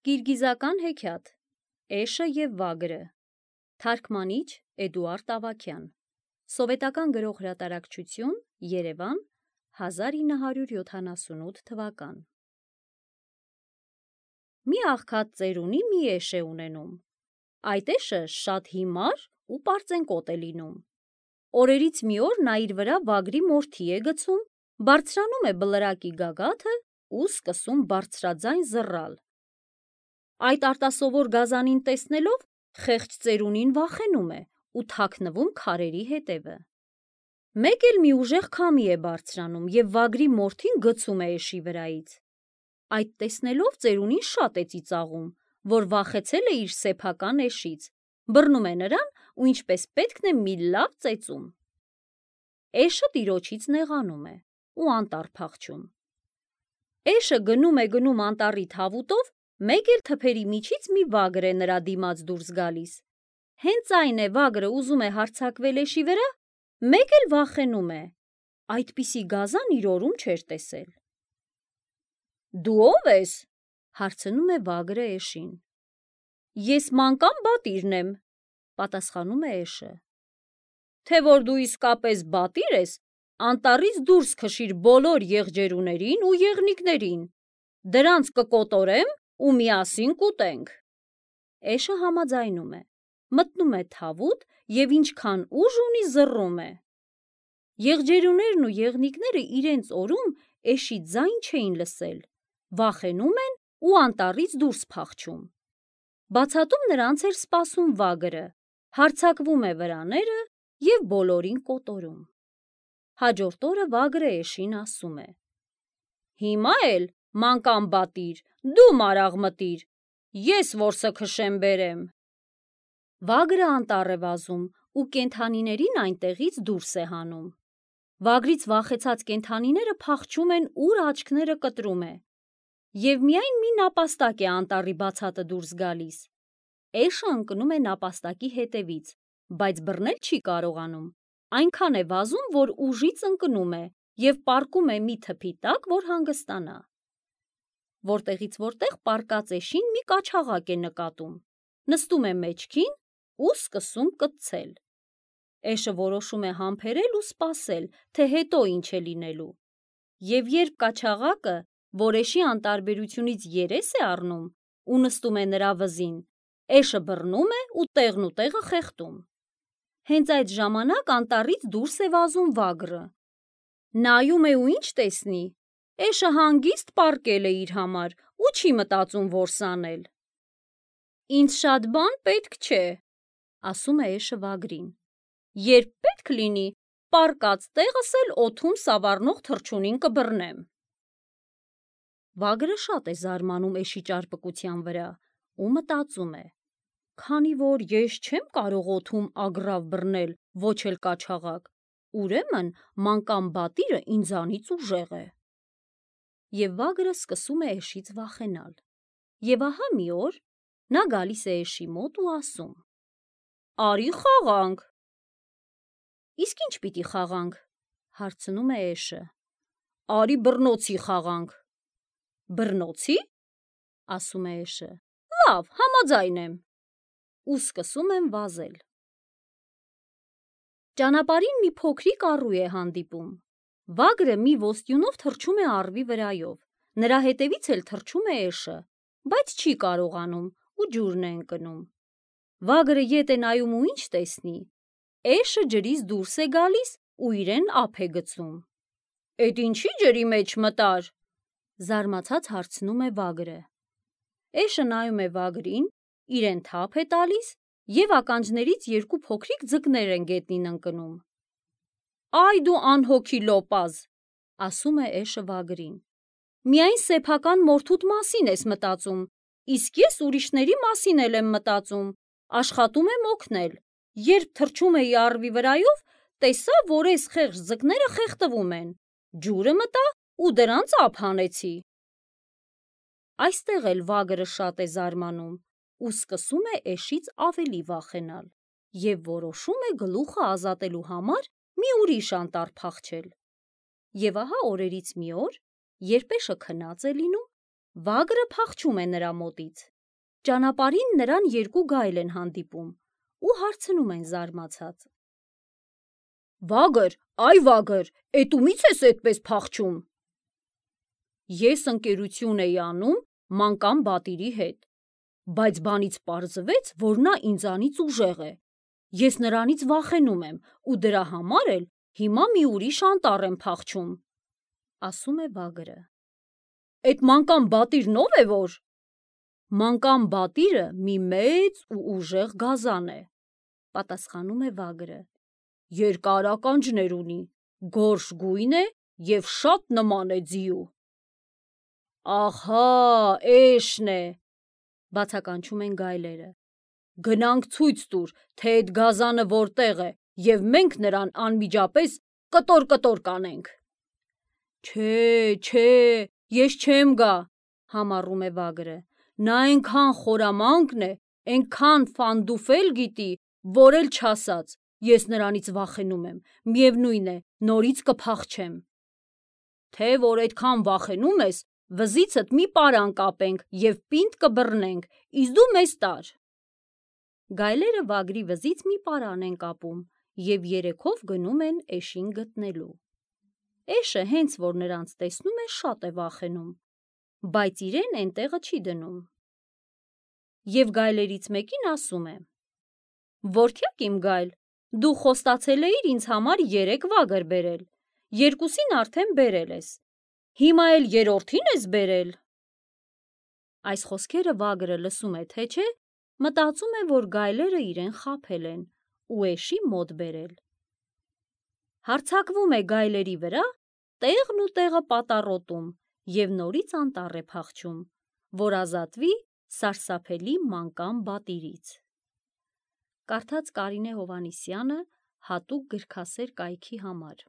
Կիրգիզական հեքիաթ Էշը և վագրը Թարգմանիչ Էդուարդ Ավագյան Սովետական գրող հրատարակչություն Երևան 1978 թվական Մի աղքատ ծերունի մի էշ է ունենում։ Այդ էշը շատ հիմար ու պարծենկոտ է լինում։ Օրերից մի օր նա իր վրա վագրի մորթի է գցում, բարձրանում է բլրակի գագաթը ու սկսում բարձրաձայն զռալ։ Այդ արտասովոր գազանին տեսնելով խեղճ ծերունին վախենում է ու թաքնվում քարերի հետևը։ Մեկ էլ մի ուժեղ քամի է բարձրանում և վագրի մորթին գցում է էշի վրայից։ Այդ տեսնելով ծերունին շատ է ծիծաղում, որ վախեցել է իր սեփական էշից, բռնում է նրան ու ինչպես պետքն է մի լավ ծեծում։ Էշը տիրոջից նեղանում է ու անտառ փախչում։ Էշը գնում է անտառի թավուտով, մեկ էլ թփերի միջից մի վագր է նրա դիմաց դուրս գալիս։ Հենց այն է վագրը ուզում է հարձակվել էշի վրա, մեկ էլ վախենում է։ Այդպիսի գազան իր օրում չէր տեսել։ Դու ո՞վ ես, հարցնում է վագրը էշին։ Ես մանկան բատիրն եմ, պատասխանում է էշը։ Թե որ դու իսկապես բատիր ես, անտառից դուրս քշիր բոլոր եղջերուներին ու եղնիկներին, դրանց կկոտորեմ ու միասին կուտենք։ Էշը համաձայնում է, մտնում է թավուտ և ինչքան ուժ ունի զռում է։ Եղջերուներն ու եղնիկները իրենց օրում էշի ձայն չէին լսել, վախենում են ու անտառից դուրս փախչում։ Բացատում նրանց էր սպասում վագրը, հարձակվում է վրաները և բոլորին կոտորում։ Հաջորդ օրը վագրը էշին ասում է. Հիմա էլ, մանկան բատիր, դու մարաղ մտիր, ես որսը քշեմ բերեմ։ Վագրը անտառ է վազում ու կենդանիներին այնտեղից դուրս է հանում։ Վագրից վախեցած կենդանիները փախչում են, ուր աչքները կտրում է։ Եվ միայն մի նապաստակ է անտառի բացատը դուրս գալիս։ Էշը ընկնում է նապաստակի հետևից, բայց բռնել չի կարողանում։ Այնքան է վազում, որ ուժից ընկնում է և պառկում է մի թփի տակ, որ հանգստանա։ Որտեղից որտեղ պառկած էշին մի կաչաղակ է նկատում, նստում է մեջքին ու սկսում կծցել։ Էշը որոշում է համբերել ու սպասել, թե հետո ինչ է լինելու։ Եվ երբ կաչաղակը, որ էշի անտարբերությունից երես է առնում ու նստում է նրա վզին, էշը բռնում է ու տեղնուտեղը խեղդում։ Հենց այդ ժամանակ անտառից դուրս է վազում վագրը։ Նայում է ու ինչ տեսնի։ Էշը հանգիստ պառկել է իր համար ու չի մտածում որս անել։ Ինձ շատ բան պետք չէ, ասում է էշը վագրին։ Երբ պետք լինի, պառկած տեղս էլ օդում սավառնող թռչունին կբռնեմ։ Վագրը շատ է զարմանում էշի ճարպկության վրա ու մտածում է. Քանի որ ես չեմ կարող օդում ագռավ բռնել, ոչ էլ կաչաղակ, ուրեմն մանկան բատիրը ինձանից ուժեղ է։ Եվ վագրը սկսում է էշից վախենալ։ Եվ ահա մի օր նա գալիս է էշի մոտ ու ասում. Արի խաղանք։ Իսկ ինչ պիտի խաղանք, հարցնում է էշը։ Արի բռնոցի խաղանք։ Բռնոցի, ասում է էշը։ Լավ, համաձայն եմ։ Ու սկսում են վազել։ Ճանապարհին մի փոքրիկ առու է հանդիպում։ Վագրը մի ոսტյունով թռչում է առվի վրայով։ Նրա հետևից էլ թռչում է էշը, բայց չի կարողանում ու ջուրն է ընկնում։ Վագրը ետ է նայում ու ինչ տեսնի։ Էշը ջրից դուրս է գալիս ու իրեն ափ է գցում։ Էդ ինչի ջրի մեջ մտար, զարմացած հարցնում է վագրը։ Էշը նայում է վագրին, իրեն թափ է տալիս և ականջներից երկու փոքրիկ ձկներ են գետնին ընկնում։ Այ դու անհոգի լոպազ, ասում է էշը վագրին։ Միայն սեփական մորթուդ մասին ես մտածում, իսկ ես ուրիշների մասին էլ եմ մտածում, աշխատում եմ օգնել։ Երբ թռչում էի առվի վրայով, տեսա, որ էս խեղճ ձկները խեղդվում են, ջուրը մտա ու դրանց ափ հանեցի։ Այստեղ էլ վագրը շատ է զարմանում ու սկսում է էշից ավելի վախենալ և որոշում է գլուխը ազատելու համար մի ուրիշ անտառ փախչել։ Եվ ահա օրերից մի օր, երբ էշը քնած է լինում, Վագրը փախչում է նրա մոտից։ Ճանապարհին նրան երկու գայլ են հանդիպում ու հարցնում են զարմացած. «Վագր, այ Վագր, էտումից ես էդպես փախչում»։ Ես ընկերություն էի անում մանկան բատիրի հետ, բայց բանից պարզվեց, որ նա ինձանից ուժեղ է։ Ես նրանից վախենում եմ ու դրա համար էլ հիմա մի ուրիշ անտառ եմ փախչում, ասում է Վագրը։ Էդ մանկան բատիրն ով է որ։ Մանկան բատիրը մի մեծ ու ուժեղ գազան է, պատասխանում է Վագրը։ Երկար ականջներ ունի, գորշ գույն է և շատ նման է ձիու։ Ահա, էշն է, բացականչում են գայլերը։ Գնանք ցույց տուր, թե էդ գազանը որտեղ է, և մենք նրան անմիջապես կտոր-կտոր կանենք։ Չէ, ես չեմ գա, համառում է Վագրը։ Նա էնքան խորամանկն է, էնքան ֆանդուֆել գիտի, որ էլ չասած, ես նրանից վախենում եմ, միևնույն է, նորից կփախչեմ։ Թե որ էդքան վախենում ես, վզիցդ մի պարան կապենք և պինդ կբռնենք, իսկ դու մեզ տար։ Գայլերը Վագրի վզից մի պարան են կապում և երեքով գնում են էշին գտնելու։ Էշը հենց որ նրանց տեսնում է, շատ է վախենում, բայց իրեն էնտեղը չի դնում։ Եվ գայլերից մեկին ասում է. Որդյակ իմ գայլ, դու խոստացել էիր ինձ համար 3 վագր բերել, երկուսին արդեն բերել ես, հիմա էլ երրորդին ես բերել։ Այս խոսքերը Վագրը լսում է, թե չէ, մտածում է, որ գայլերը իրեն խաբել են ու էշի մոտ բերել։ Հարձակվում է գայլերի վրա, տեղն ու տեղը պատառոտում և նորից անտառ է փախչում, որ ազատվի սարսափելի մանկան բատիրից։ Կարդաց Կարինե Հովհաննիսյանը հատուկ գրքասեր կայքի համար։